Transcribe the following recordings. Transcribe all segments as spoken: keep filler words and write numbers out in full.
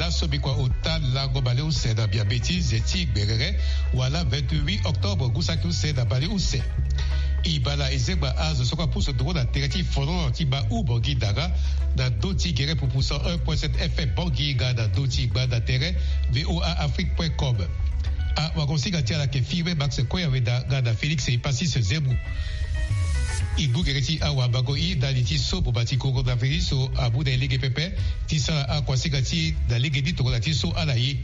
Aso bikua ota lango baleuse na miambe ti ze ti gberere wala vingt-huit octobre ngu saki use na baleuse. E baa na ezengba azo so kue apusu nduru na tere ti folon ti baa u Bangui Dara, na ndö ti gere pupu cent un point sept F M Bangui nga na ndö ti gbanda tere V O A Afrique point com. Awagosinga ti ala ayeke Firmin Max Koyaweda nga na Félix Epasis Zemou. E gbu gere ti awabango i ndali ti so boma ti coronavirus amu na e lege pepe ti sara akuasinga ti e na lege ni tongana ti so ala ye.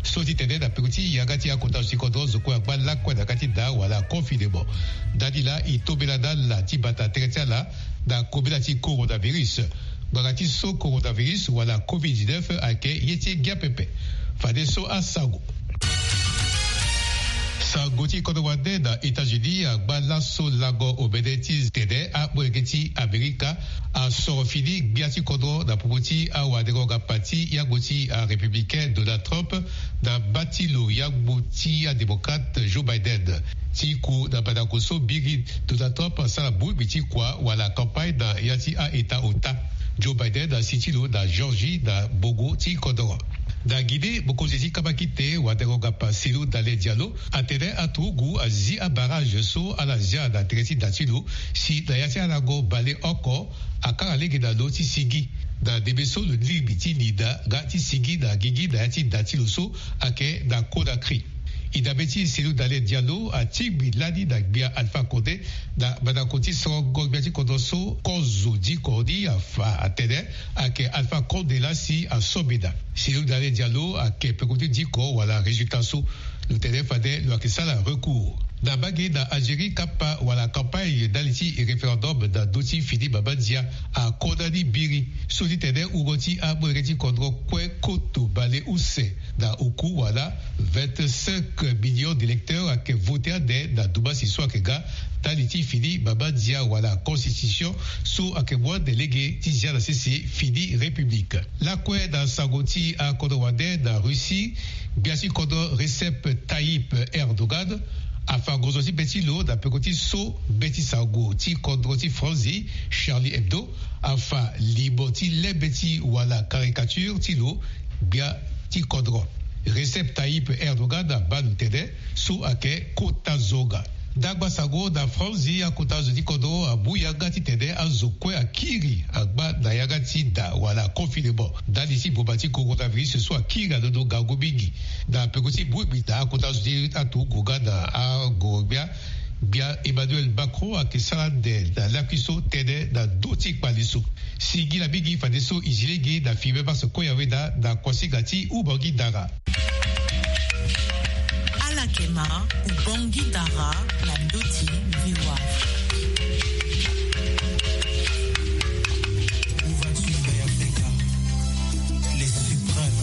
So ti tene na peko ti yanga ti akota zo ti kodro, zo kue angba lakue na yanga ti daa wala confinement. Ndani laa e tombela na ala ti bata tere ti ala na kobela ti coronavirus. Ngbanga ti so coronavirus wala covid dix-neuf ayeke ye ti ngia pepe. Fadeso asango. Sango ti kodro wande na États-Unis angba laso lango omene ti tene amolenge ti Amerika asoro fini gbia ti kodro na popo ti awadengo-ngapa ti yagbo ti arépublicain Donald Trump na mba ti lo yagbo ti adémocrate Joe Biden. Ti ku na badako so biri, Donald Trump asara bongbi ti kua wala campagne na ya ti a-État ota. Joe Biden asi ti lo na Georgie na bongo ti kodro. Na Guinée, mokonzi ti kabakite wadengo-ngapa Cellou Dalein Diallo atene aturugu azi abarrage so ala zia na tere ti da ti lo, si na ya ti alango baleoko akanga lege na lo ti sigi na ndembe so lo lingbi ti linda nga ti sigi na gigi na ya ti da ti lo so ayeke na Conakry. E dabe ti Cellou Dalein Diallo atingbi lani na gbia Alpha Condé na mandako ti sorongo gbia ti kodro so kozo diko ni afa atene ayeke Alpha Condé laa si asombi daa. Cellou Dalein Diallo ayeke peko ti diko wala résultat so. Lo tene fade lo yeke sara recours. Na mbage na Algérie, kapa wala campagne ndali ti référendum na ndö ti fini mama ndia akondani biri. So ti tene wungo ti amolenge ti kodro kue koto baleuse na oku wala vingt-cinq millions d'électeurs ayeke vote ande na dumasi so ayeke ga ndali ti fini mama ndia wala constitution so ayeke mu ande lege ti zia na sese fini république. Lakue na sango ti akodro wande na Russie, gbia ti kodro Recep Tayyip Erdogan afa ngonzo ti be ti lo na peko ti so be ti sango ti kodro ti Franzi Charlie Hebdo afa limo ti lembe ti wala caricature ti lo gbia ti kodro. Recep Tayyip Erdogan abaa lo tene so ayeke kota zonga. Ndangba sango na Franzi, akota zo ti kodro amu yanga ti tene azo kue akiri angba na yanga ti da wala confinement ndali ti boma ti coronavirus so akiri alondo ngangu mingi. Na peko ti bongbi na akota zo ti aturugu nga na agoro gbia, gbia Emmanuel Macron ayeke sara ande na lakui so tënë na ndö ti kpale so. Singila mingi fadeso e zi lege na Firmin Max Koyaweda na kuasinga ti Ubangui Dara. Ala yeke ma Ubangui Dara na ndö ti V O A. Où vas-tu, Mbaye Afrika, les suprêmes,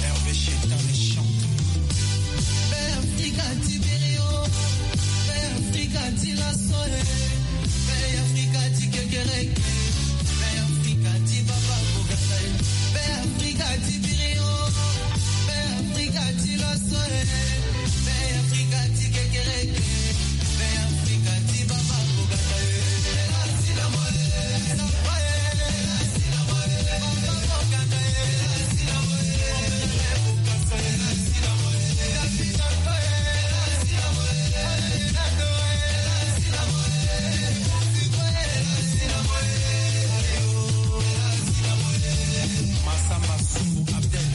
Hervé Cheta, les champions. Mbaye Afrika ti biri o, Mbaye Afrika ti laso e, Mbaye Afrika ti kekereke, Mbaye Afrika ti baba bogasa e, Mbaye Afrika ti biri o, Mbaye Afrika ti laso e, Mbaye Afrika ti kekereke, Mbaye Afrika ti baba bogasa e. Massamba Soumou Abdel,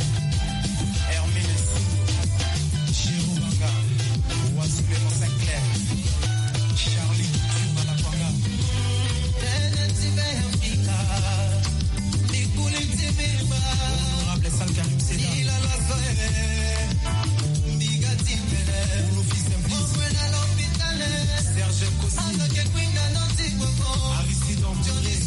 Hermine Soumou, Jérôme Banga, Wassoulé Monseigneur, Charlie Turba Lakwanga. Honorable Sal Karim Seda. Serge Kosi. Aristide Antoine.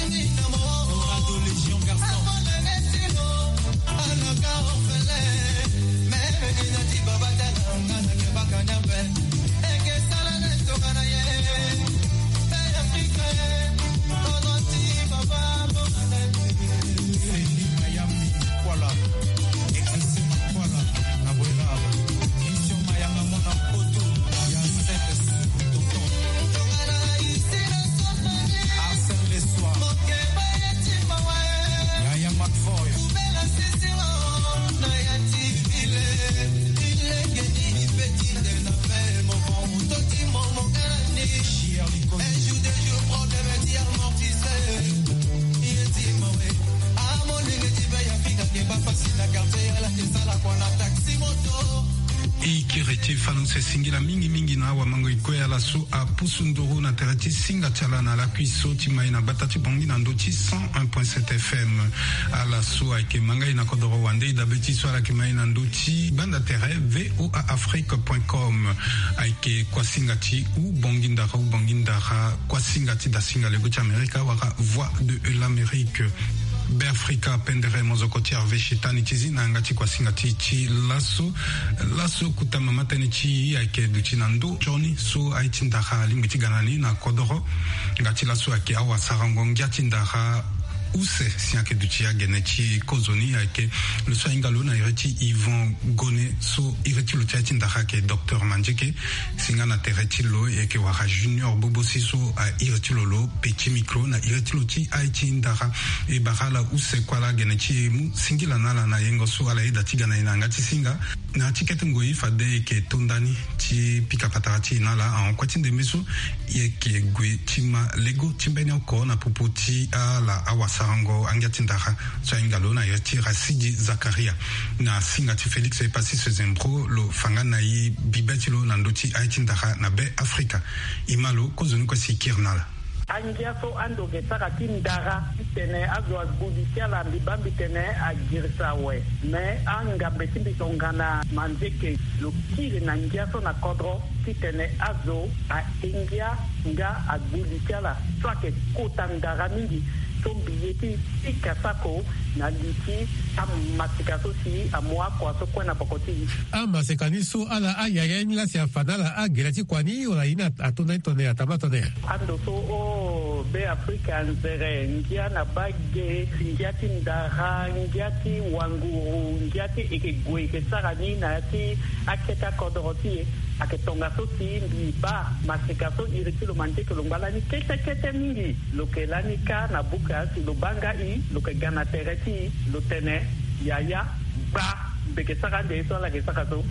Honorable Légion Garçon. Ti fanu se singila mingi mingi na awamango e kue ala so apusu nduru na tere ti singa ti ala na lakui so ti mai na bata ti bongi na ndo ti cent un point sept F M. Ala so ayeke ma ngai na kodoro wande e dabe ti so ala yeke mai na ndo ti gbanda tere V O A Afrique point com. Ayeke kuasinga ti u bongi ndara u bongi ndara kuasinga ti dasinga lego ti Amerika wala Voix de l'Amérique. Be Afrika pendere mozoko ti Hervé Shetani ti zi na yanga ti kuasinga ti ti laso. Laso kuta mama tënë ti e ayeke duti na ndo nzoni so aye ti ndara alingbi ti ga na ni na kodoro. Nga ti laso ayeke awasarango ngia ti ndara use si ayeke duti agene ti kozoni ayeke lo so ahinga lo na iri ti Yvon Gone so iri ti lo ti aye ti ndara ayeke docteur Mandieke. Si nga na tere ti lo e yeke wara Junior Bobosi so a iri ti lo lo Petit Micro na iri ti lo ti aye ti ndara. E bara ala use kue ala gene ti e mu singila na ala na yengo so ala yeda ti ga na e na yanga ti singa. Na ti kete ngoi fade e yeke to ndani ti pika patara ti e na ala ahon kue ti ndembe so. E yeke gue ti ma lego ti mbeni oko na popo ti ala awasarango angia ti ndara so ahinga lo na iri ti Rasidi Zakaria. Na singa ti Félix Epassis Zembro lo fa nga na e bibe ti lo na ndö ti aye ti ndara na Be Afrika. E ma lo kozoni kue si e kiri na ala. Angia so ando ge sara ti ndara titene azo agbu li ti ala mbi baa mbi tene agirisa awe. Me angambe ti mbi tongana Mandieke lo kiri na ngia so na kodro titene azo ahingia nga agbu li ti ala so ayeke kota ndara mingi. So mbi ye ti pika sako na li ti amasika so si amu akua so kue na poko ti e. Amasika ni so ala ayaya ni la si afa na ala agere ti kua ni wala ye ni ato na ni tongana nyen atama tongana nyen? Ando so o Be Afrika anzere ngia na bage ngia ti ndara ngia ti wanguru ngia ti e yeke gue e yeke sara ni na ya ti akete akodoro ti e. Ayeke tongaso si mbi baa masika so iri ti lo Mandieke lo ngba lani kete kete mingi. Lo yeke lani kâ na buka si lo baa nga e lo yeke ga na tere ti e lo tene yaya gba mbi yeke sara ande ye so ala yeke sara so.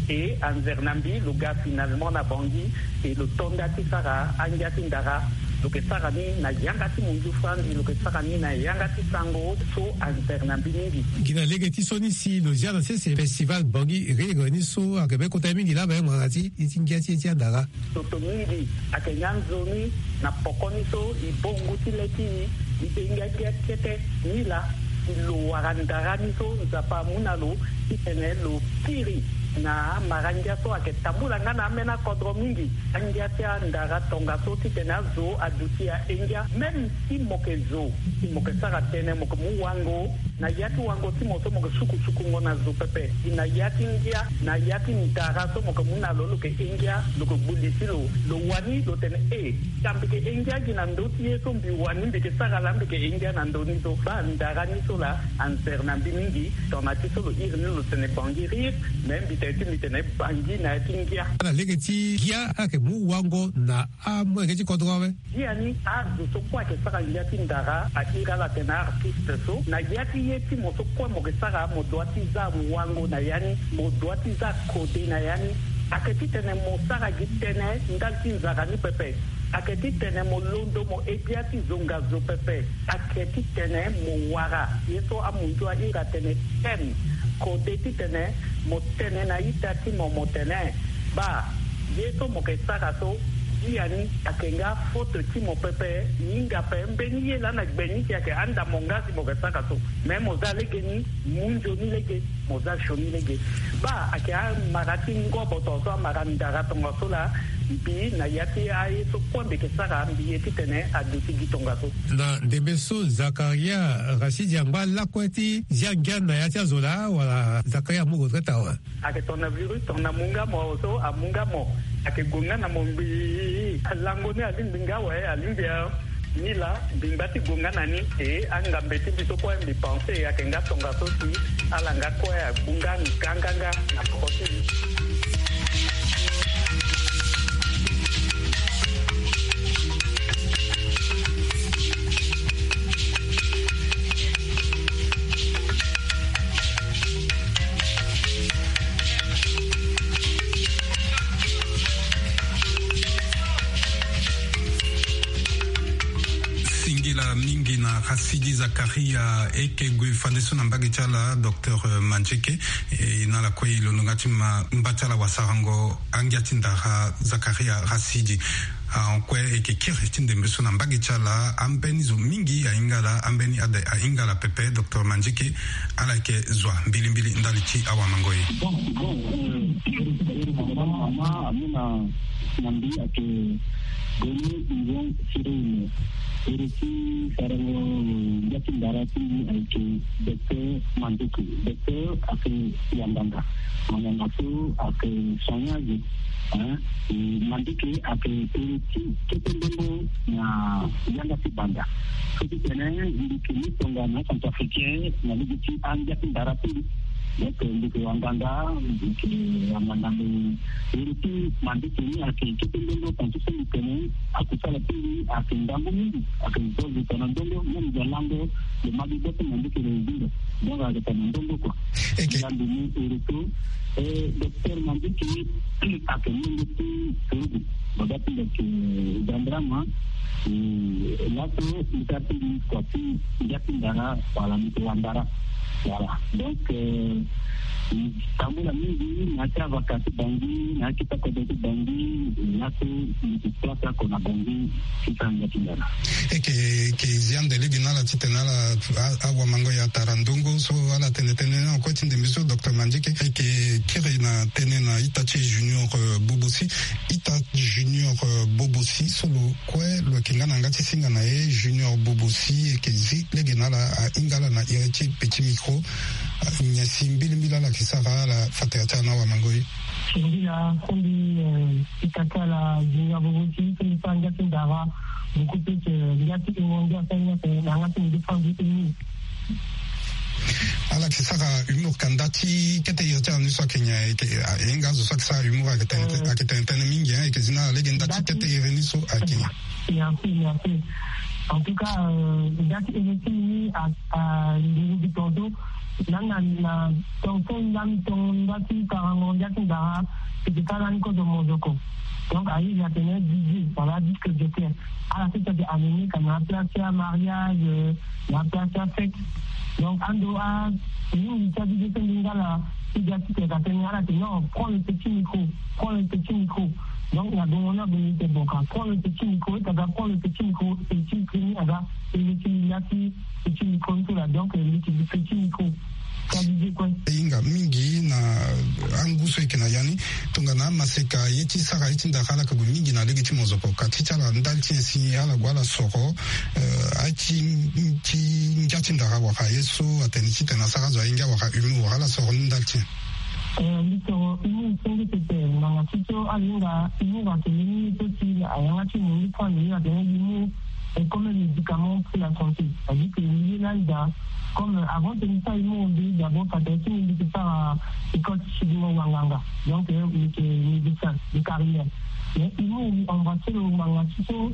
E anzere na mbi lo ga finalement na Bangui e lo to nda ti sara angia ti ndara. Lo yeke sara ni na yanga ti munzu fandi lo yeke sara ni na yanga ti sango so anzere na mbi mingi. Gi na lege ti so ni si lo zia na sese festival Bangui Rire ni so ayeke be kota ye mingi laa ape ngbanga ti e ti ngia ti e ti andara. Toto mingi ayeke nga nzoni na poko ni so e baa ngu ti le ti e e hinga ngia kete ni laa. Si lo wara ndara ni so Nzapa amu na lo titene lo kiri na amara ngia so ayeke tambula nga na ambeni akodro mingi. Angia ti andara tongaso titene azo aduti ahingia même si mo yeke zo si mo yeke sara tënë mo yeke mu wango. Na ya ti wango ti mo so mo yeke sukusukungo na zo pepe. Na ya ti ngia na ya ti ndara so mo yeke mu na lo lo yeke hingia lo yeke gbu li ti lo. Lo wani lo tene e ka mbi yeke hingia gi na ndö ti ye so mbi wani mbi yeke sara laa mbi yeke hingia na ndö ni so baa ndara ni so laa anzere na mbi mingi. Tongana ti so lo iri ni lo tene Bangui Rire. Me mbi tene ti mbi tene Bangui na ya ti ngia. Na lege ti ngia ayeke mu wango na amolenge ti kodro awe. Biani azo so kue ayeke sara ngia ti ndara airi ala atene artiste so na ya ti ye ti mo so kue mo yeke sara mo dua ti za wango na ya ni. Mo dua ti za kode na ya ni. Ayeke titene mo sara gi tënë ndali ti nzara ni pepe. Ayeke titene mo londo mo he bia ti zonga zo pepe. Ayeke titene mo wara ye so amunzu airi atene thème kode titene mo tene na ita ti mo mo tene baa ye so mo yeke sara so biani ayeke nga faute ti mo pepe. Hinga ape mbeni ye laa na gbe ni si ayeke anda mo nga si mo yeke sara so. Me mo za lege ni mu nzoni lege mo za sioni lege. Baa ayeke amara ti ngobo tongaso amara ndara tongaso laa. Mbi na ya ti aye so kue mbi yeke sara mbi ye titene aduti gi tongaso. Na ndembe so Zakaria Rasidi angba lakue ti zia ngia na ya ti azo laa wala Zakaria amu retraite awe? Ayeke tongana virus tongana amu nga mo so amu nga mo. Ayeke gue nga na mo ngbii. Lango ni alingbi nga awe alingbi a. Ni laa mbi ngba ti gue nga na ni. E angambe ti mbi so kue mbi pense ayeke nga tongaso si ala nga kue agbu nga nganganga na poko ti mbi. Singila mingi na Sidi Zakaria, e yeke gue fade so na mbage ti ala docteur Mandieke. E na ala kue e londo nga ti ma mba ti ala wasarango angia ti ndara Zakaria Rasidi. Ahon kue e yeke kiri ti ndembe so na mbage ti ala ambeni zo mingi ahinga ala, ambeni ade ahinga ala pepe. Docteur Mandieke, ala yeke zo mbilimbili ndali ti awamango ye. Bon, bon, euh, mama, mama, amina. Na mbi ayeke Boni Nzon Sirene. Iri ti sarango ngia ti ndara ti mbi ayeke Docteur Mandieke. Docteur ayeke wanganga. Wanganga so ayeke soignage, hein. E Mandieke ayeke iri ti kete ndembo na yanga ti banda. So ti tene mbi yeke ni tongana centrafricain na lege ti angia ti ndara ti mbi. Donc mbi yeke wanganga, mbi yeke wanganga. Iri ti Mandieke ni ayeke kete ndembo, tongaso so mbi tene akusala ti mbi ayeke ngangu mingi, ayeke zo zo tongana ndongo, même zo lango lo ma gi gbe ti Mandieke lo zingo. Donc ayeke tongana ndongo kua. Eke. Ngangu ni iri so, eh, docteur Mandieke ayeke ndembo ti Sorogo. Baba ti mbi ayeke Zandrama. Eh, laso mbi sara ti mbi kua ti ngia ti ndara, wala mbi yeke wandara. Voilà. Donc, euh, tambula mingi na ya ti avaka ti Bangui, na ya ti kota kodro ti Bangui, laso mbi yeke place oko na Bangui ti sara ngia ti ndara. E yeke, e yeke zi ande lege na ala titene ala a, awamango ye atara ndongo so ala tene tënë na kue ti ndembe so docteur Mandieke. E yeke kiri na tënë na ita ti Junior, euh, Bobosi. Ita Junior, euh, Bobosi so lo kue lo yeke nga na yanga ti singa na ye. Junior Bobosi e yeke zi lege na ala, ahinga ala na iri ti petit micro. Ah, nyen si mbilimbili ala yeke sara ala fa tere ti ala na awamango ye? Mbila, so mbi, eh, ita ti ala Junior Bobosi, so mbi sara ngia ti ndara, beaucoup plus, eh, ngia ti hungo ngia so ngia ti na yanga ti mbi ti fa mbi ti ni. Ala yeke sara humour ka nda ti kete iri ti ala ni so ayeke nyen? Ayeke, ah, e hinga azo so ayeke sara humour ayeke tene, eh, ayeke tene tënë mingi, hein, e yeke zi na ala lege nda ti kete iri ni so ayeke nyen? Merci, merci. En tout cas, euh, nda ti iri ti ni a, a nduru gi tongaso. Na, na, na tongaso lani tonga ti sarango ngia ti ndara, e yeke sara lani kozo mozoko. Donc aye atene D J, voilà, disque jockey. Ala sese ayeke animé ka na place ti amariage, na place ti afête. Donc ando a mingi ti adidi so mbi nga ala ti ga ti tene ka tene, ala tene non, prends le petit micro, prends le petit micro. Donc na gongo ni abongi te, bon, ka prends le petit micro, ita ga prends le petit micro, petit micro ni aga, e le ti la ti petit micro ni so la, donc, euh, le petit micro. Ti adidi kue. E hinga mingi na angu so e yeke na ya ni. Tongana amaseka ye ti sara ye ti ndara ala yeke gue mingi na lege ti mozoko. Ka ti ti ala ndali ti nyen si ala gue ala soro, eh, aye ti, ti ngia ti ndara wala ye so atene titene asara azo aye ngia wala humour, ala soro ni ndali ti nyen? Eh, mbi soro humour so nge pepe, ngbanga ti so ala hinga humour atene ni so si ayanga ti mo ni point de vue atene humour est comme un médicament pour la santé. C'est-à-dire que mbi ye lani daa, comme, euh, avant que mbi sara humour, mbi d'abord fa tere ti mbi mbi yeke sara école ti sidingo wanganga. Donc, euh, mbi yeke médecin de carrière. Mais humour mbi embrasser lo ngbanga ti so,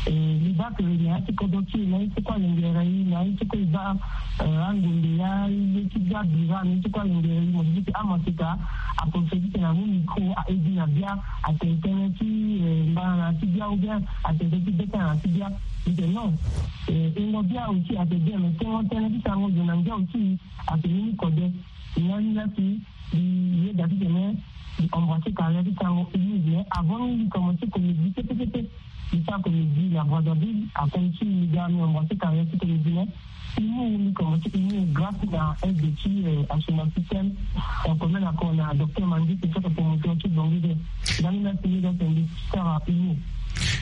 euh, mbi baa que na ya ti kodro ti e na ye ti kue alingere e, na ye ti kue e baa, euh, angombe ya ye ti bia bira na ye ti kue alingere e, mo di ti amaseka, aprofite ti tene amu micro, a edi na bia, atene tënë ti, eh, mbana na ya ti bia ou bien atene tënë ti beta na ya ti bia. Mbi tene non. Eh, ingo bia aussi ayeke bien, mais tengo tënë ti sarango zo na ngia aussi ayeke ni ni kode. Ni lani la si mbi yeda titene mbi embrasser carrière ti sarango humour, mais avant ni mbi commencer comédie pepe pepe. Mbi sara comédie na Brazzaville, akono ti mbi ga mbi embrasser carrière ti comédie, mais humour, mbi commencer humour grâce na aide ti, euh, Assouma Système, en commun accord na docteur Mandieke, so ayeke promoteur ti Bangui. Nga ni la si mbi ga tene mbi sara humour.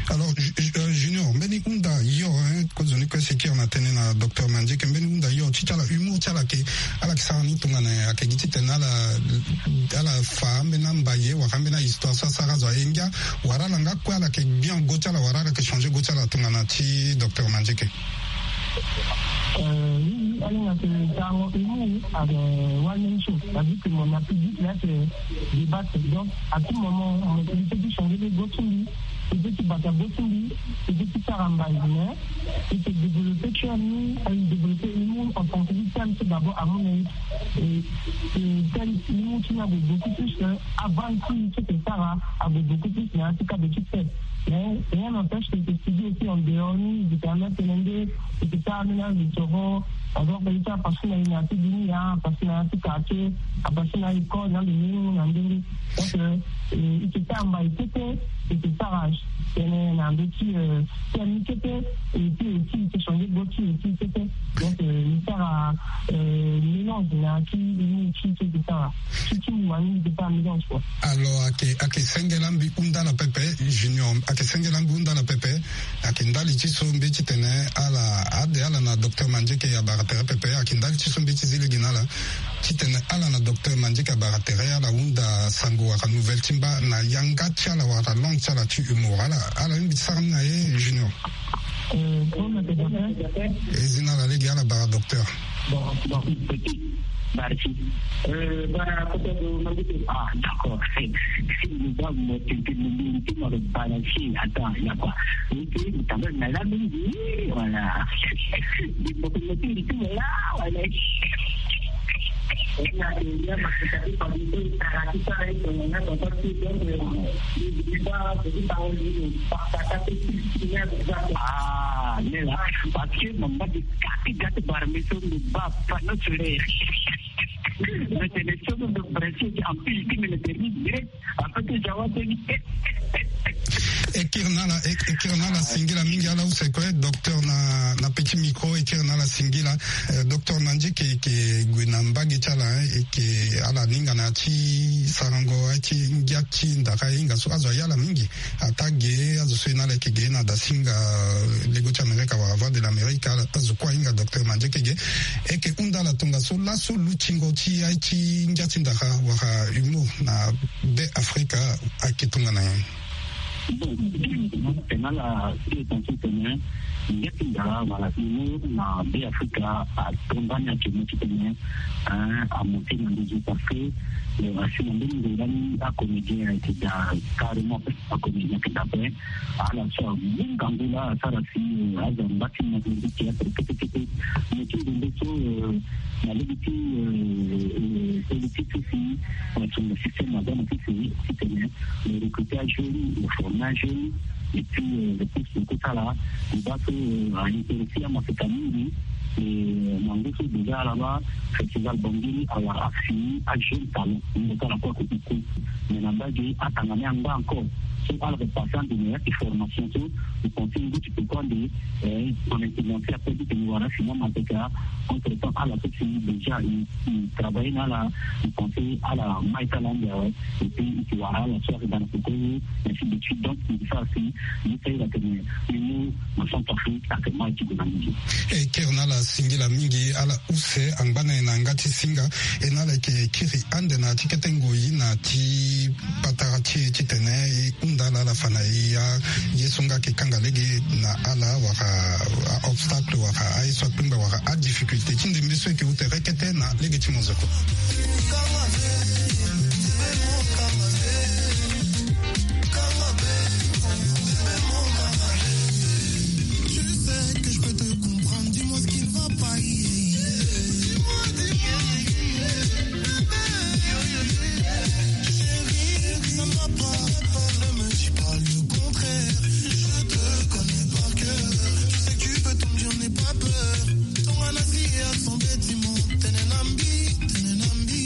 Alors, Ju-, Ju-, euh, Junior, mbeni hunda yo, hein, kozoni kue si kiri na tënë na docteur Mandieke, mbeni hunda yo ti ti ala humour ti ala ayeke, ala yeke sara ni tongana nyen? Ayeke gi titene ala, ala fa ambeni ambaye wala ambeni ahistoire so asara azo aye ngia, wala ala nga kue ala yeke bien go ti ala, wala ala yeke changer go ti ala tongana ti docteur Mandieke? Euh, oui, oui, ala hinga tene sarango humour ayeke one man show. C'est-à-dire que mo na public la ayeke débattre. Donc, à tout moment, mo peut ti changer go ti mbi, mo peut ti bata go ti mbi, mo peut ti sara mbai, mais e yeke développer cœur ni, e développer humour en tant que système, c'est d'abord amu na e, e, e, tel humour ti ni ague beaucoup plus, euh, avant ti so e yeke sara ague beaucoup plus na ya ti cadre ti fête. Mais rien n'empêche que e ke studier aussi en dehors ni, e ke permettre tene nde e ke sara ménage de toro. Par exemple e ti apasi na e na ya ti dunia, apasi na ya ti quartier, apasi na école na ndenge na ndenge. Donc e ke sara mbai kete, e ke sara tene na ndö ti thème ni kete, et puis aussi e ke changer go ti e ti kete. Donc e sara mélange na ti ni ti ti e ke sara ti ti wani e ke sara mélange quoi. Alors ayeke ayeke senge la mbi hunda na pepe. Junior, ayeke senge la mbi hunda na pepe. Ayeke ndali ti so mbeti tene ala ade ala na docteur Mandieke abara tere pepe. Ayeke ndali ti so mbeti zi lege na ala titene ala na docteur Mandieke abara tere ala hunda sango wala nouvelle ti mba na yanga ti ala wala langue ti ala ti humour. Ala ala mbi ti sara ni na ye Junior. E zi na ala lege ala bara docteur. Bon, bon, petit, merci. Euh, bara kota do mangi te. Ah, d'accord. Mo ba mo tente mo mbi ti mo lo balancer. Attends, il y a quoi? Mo ti mo tamba na la mingi, voilà. Mo ti mo ti mo la, voilà. Ah, nela, parce que mo mba di kati gati bara mi so mo ba panneau solaire. Mais c'est les choses de principe en plus qui me le permettent direct. E kiri na ala, e kiri na ala singila mingi, ala use kue docteur na, na petit micro, e kiri na ala singila. Eh, docteur Mandieke, e ke gue na mbage ti ala, eh, e ke ala hinga na ya ti sarango, eh, ti ngia ti ndara, e hinga so azo aye ala mingi. Ataa ge azo so e na ala e ke ge na dasinga, eh, lego ti Amerika wala Voix de l'Amérique, ala azo kue ahinga docteur Mandieke ge. E ke hunda ala tongaso laso lutingo ti aye ti ngia ti ndara wala humour na Be Afrika ayeke tongana nyen? Bon, tene ala ti e tongaso tene ngia ti ndara wala humour na Be Afrika atonga ni ayeke mo titene, eh, amonte na nduzu parce que, eh, asi na mbeni ngoi lani acomédien ayeke daa carrément. Akomi na yeke dape ala so amu ngangu laa asara si, eh, aza mba ti mo ti théâtre kete kete. Mo ti nzembe so, eh, na lege ti, eh, eh, politique ti si, eh, na tonga système aza na ti si titene, eh, recruter ajeune, eh, former ajeune, et puis, eh, le plus de kosala, eh, mba so, eh, a intéressé amaseka mingi. Eh, na ngu so déjà ala baa festival Bangui awara afini ajeune talent. Ngu so ala kue akoki ku. Mais na mbage atanga ni angba encore. So ala pe passer ande na ya ti formation so, je pense ngu ti pe kue ande, eh, son intelligence après ti tene wara afini amaseka. Entre temps ala so si déjà i, i travailler na ala, je pense ala mai ti ala ande awe. Et puis i ti wara ala so ayeke daa na peko ye, ainsi de suite. Donc i sara si, i sara atene, i mu na Centrafrique atene mai ti gue na mingi. E kiri na ala singila mingi, ala use angba na e na yanga ti singa. E na ala yeke kiri ande na ya ti kete ngoi na ya ti patara ti e titene e hunda ala ala fa na e ya, ye so nga ayeke kanga lege na ala wala a-obstacle wala aye so akpengba wala adifficulté ti ndembe so e yeke ute kete na lege ti monzeko. Tu sais que je peux te comprendre, dis-moi ce qui ne va pas. Chérie, ça ne va pas, ne me dis pas le contraire. Je te connais par cœur, tu sais que tu peux tout me dire, n'aie pas peur. Ton anasi a son bâtiment, tenenambi, tenenambi.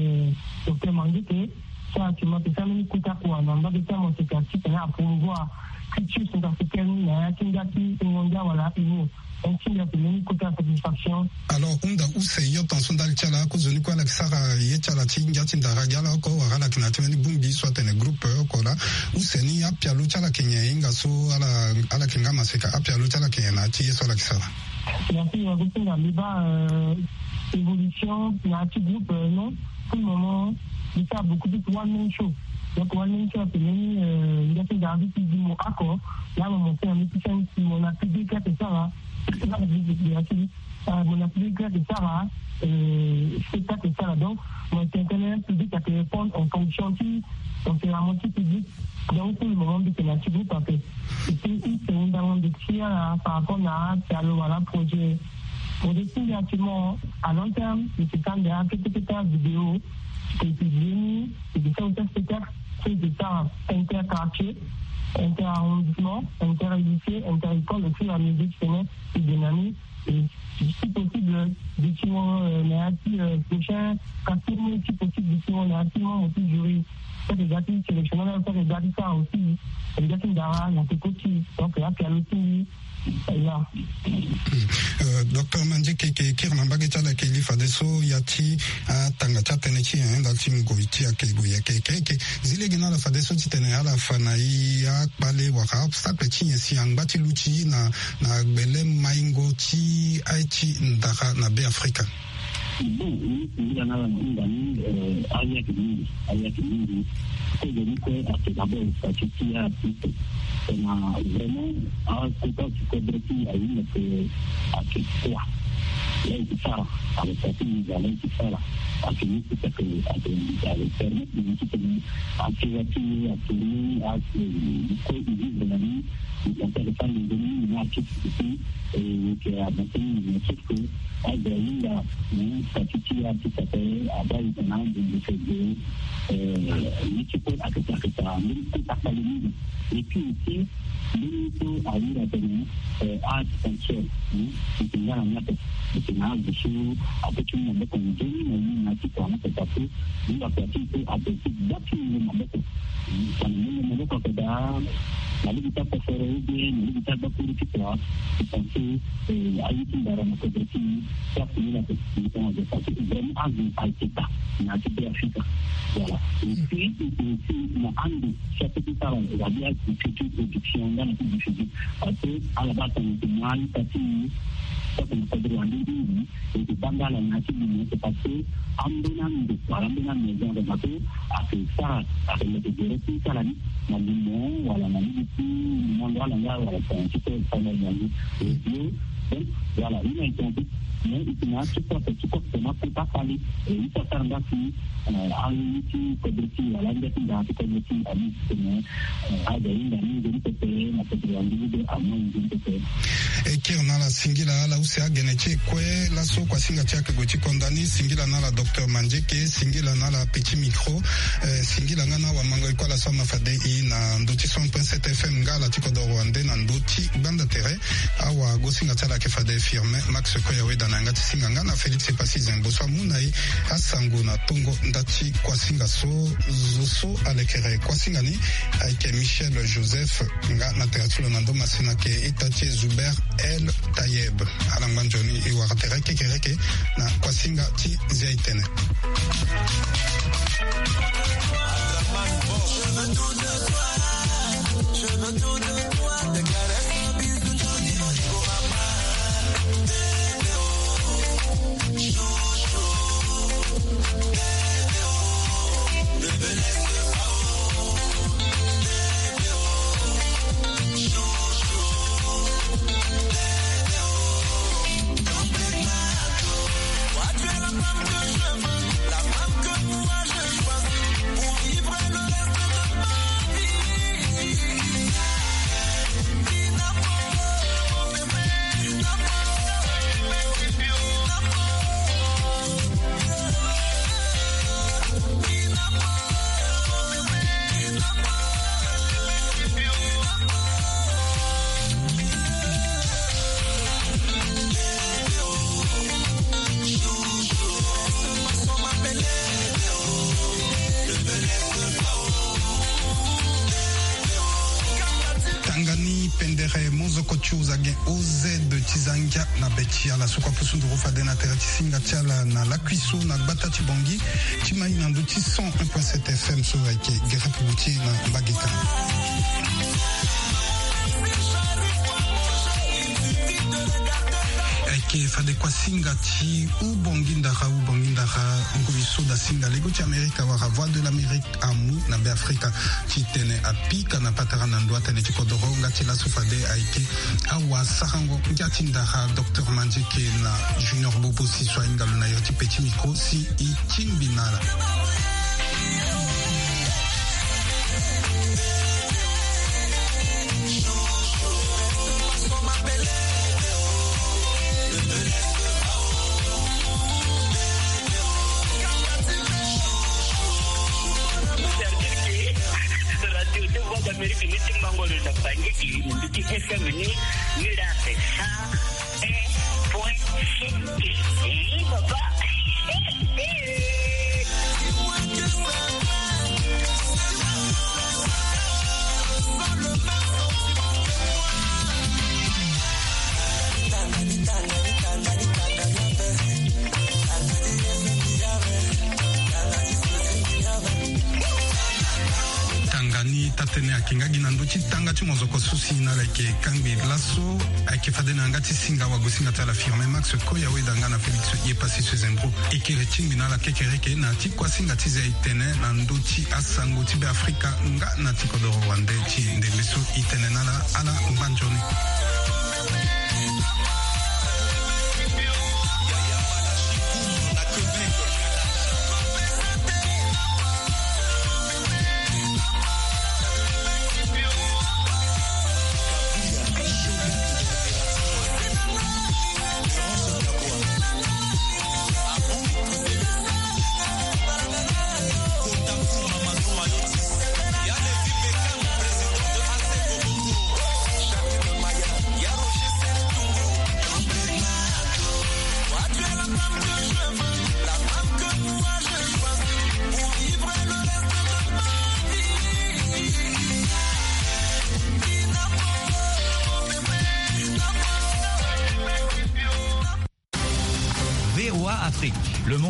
eh, docteur Manduke, so actuellement pe sara mbeni kota kua na mbage ti amoseka ti tene apromouvoir culture centrafricaine na ya ti ngia ti ngondia wala humour. Donc ti ngia pe mbeni kota satisfaction. Alors hunda use yo ton so ndali ti ala kozoni kue ala yeke sara ye ti ala ti ngia ti ndara gi ala oko wala ala yeke na ya ti mbeni bongbi so atene groupe oko laa. Use ni apialo ti ala yeke nyen hinga so ala ala yeke nga maseka apialo ti ala yeke nyen na ya ti ye so ala yeke sara? Merci, euh, Agustin Gambeba, euh, évolution na ya ti groupe, euh, non. Pour le moment, je fais beaucoup plus one man show. Donc one man show, c'est même, euh, il y a plus d'artistes qui disent mon accord. Là, mon monté un petit film, mon a public là, c'est ça, là. Là, je dis, je dis, euh, mon a public là, c'est ça, là. Euh, spectacle, c'est ça, là. Donc, mon intérêt public a pu répondre en fonction qui, donc c'est vraiment qui public. Donc pour le moment, c'est la petite groupe, en fait. Et puis, c'est une demande de tir, euh, par rapport à, à le, voilà, projet. Projet qui est actuellement à long terme, mais c'est quand même un petit peu de vidéo, qui est publié, et de ça, on peut se faire, c'est de ça, interquartier, interarrondissement, interlycée, inter-école, au fur et à mesure, tu connais, c'est dynamique. Et si possible, décidément, euh, na ya ti, euh, prochain casting, si possible, décidément, na ya ti membre ti jury. Peut-être gâté sélectionné, peut-être gâté ça aussi. Peut-être gâté ndara, na te koti. Donc, là, puis à l'autre, là. Euh, docteur Mandieke, ke kiri na mbage ti ala, ke li fadeso ya ti atanga ti atënë ti nyen ndali ti ngoi ti ayeke gue ayeke eke. Zi lege na ala fadeso titene ala fa na e akpale wala obstacle ti nyen si angba ti luti na na gbele maingo ti aye ti ndara na Beafrika. Bon, ni singila na ala na hunda ni, euh, aye ayeke mingi, aye ayeke mingi. Kozo ni kue ayeke d'abord statut ti artiste. Tongana vraiment akota ti kodro ti ahinga ke ayeke kua. Là ayeke sara, avec statut ni, là ayeke sara. Ayeke ni ti ayeke, ayeke, ayeke permettre ni ti tene ake wa ti ni, ake ni, ake ni kue e vivre na ni. Intéressant de venir na artiste ici, et que à matin, sauf que aza ahinga, statut ti artiste ape, abaa e tena de de de, euh, ni ti kue ayeke, ayeke sara mbeni kota kpale mingi. Et puis aussi mbeni so ahiri atene, euh, art sensuel, hmm, e yeke nga na ni ape. E yeke na azo so ape ti mu maboko nzoni na ni na ya ti kua ni ape, parce que ni akua ti e so ape ti gba ti mungo maboko. Tongana mungo maboko ayeke daa na lege ti akosoro ou bien na lege ti agbakuru ti kua, e pense, eh, aye ti ndara na kodro ti e, ti ape ni la, parce que vraiment azo ayeke daa na ya ti Beafrika. Voilà. Et puis, et puis na ando ti ape ti sara wabia ti culture production nga na ti diffusion. Parce que ala baa tongana e yeke mu a-ita ti e, ti ape na kodro wande mingi. E yeke baa nga ala na ya ti gouvernement, c'est parce que ambeni ando wala ambeni amaison de bateau ayeke sara, ayeke leke gere ti sara ni na limon wala na lege ti mango ala nga wala tongana ti kue sara na yango. Donc voilà, ni na e tene mais e yeke na ya ti kue ape ti kue ape tena kota kpale. E ye ti asara nga si, eh, aye ti kodro ti e wala angia ti ndara ti kodro ti e, aye ti tene, eh, aza ahinga ni nzoni pepe na kodro wande ni be amu nzoni pepe. E kiri na ala singila ala use agene ti e kue laso kuasinga ti ayeke gue ti konda ni. Singila na ala docteur Mandieke, singila na ala Petit Micro, eh, singila nga na awamango e kue ala so ama fade e na ndö ti cent point sept F M nga ala ti kodoro wande na ndö ti gbanda tere. Awagosinga ti ala ayeke fade Firmin Max Koyaweda. Na yanga ti singa nga na Félix Epassi Zembo so amu na e asango na tongo nda ti kuasinga so. Zo so alekere kuasinga ni ayeke Michel Joseph, nga na tere ti lo na ndo masina ayeke ita ti e Zuber El Tayeb. Ala ngba nzoni e wara tere kekereke na kuasinga ti zia e tene. Tanga ni pendere monzoko ti uza gen oz ti za ngia na be ti ala so kua pusu nduru fade na tere ti singa ti ala na lakui so na gbata ti Bangui ti mai na ndö ti cent un point sept F M so ayeke Guerre Routier na mbage kâ. Ayeke fade kuasinga ti Ubongi Ndara, Ubongi Ndara, ngoi so da singa lego ti Amerika wala Voix de l'Amérique amu na Beafrika ti tene apika na patara na ndo atene ti kodoro nga ti laso fade ayeke awasarango ngia ti ndara docteur Mandieke na Junior Bobo si so ahinga lo na iri ti petit micro si e tingbi na ala. Radio de Voix d'Amérique ni ti mango lo na bangi di mundi ti F M ni ni la pe sa. Un point six. Eh, papa. Tanga ni taa-tënë ayeke nga gi na ndö ti tanga ti mozoko so si na ala yeke kangbi laso. Ayeke fade na yanga ti singa wagosinga ti ala Firmin Max Koya weda nga na Félix Yepassi Sezembro e kere tingbi na ala kekereke na ti kuasinga ti zia e tene na ndö ti asango ti Beafrika nga na ti kodoro wande ti ndembe so e tene na ala. Ala ngba nzoni.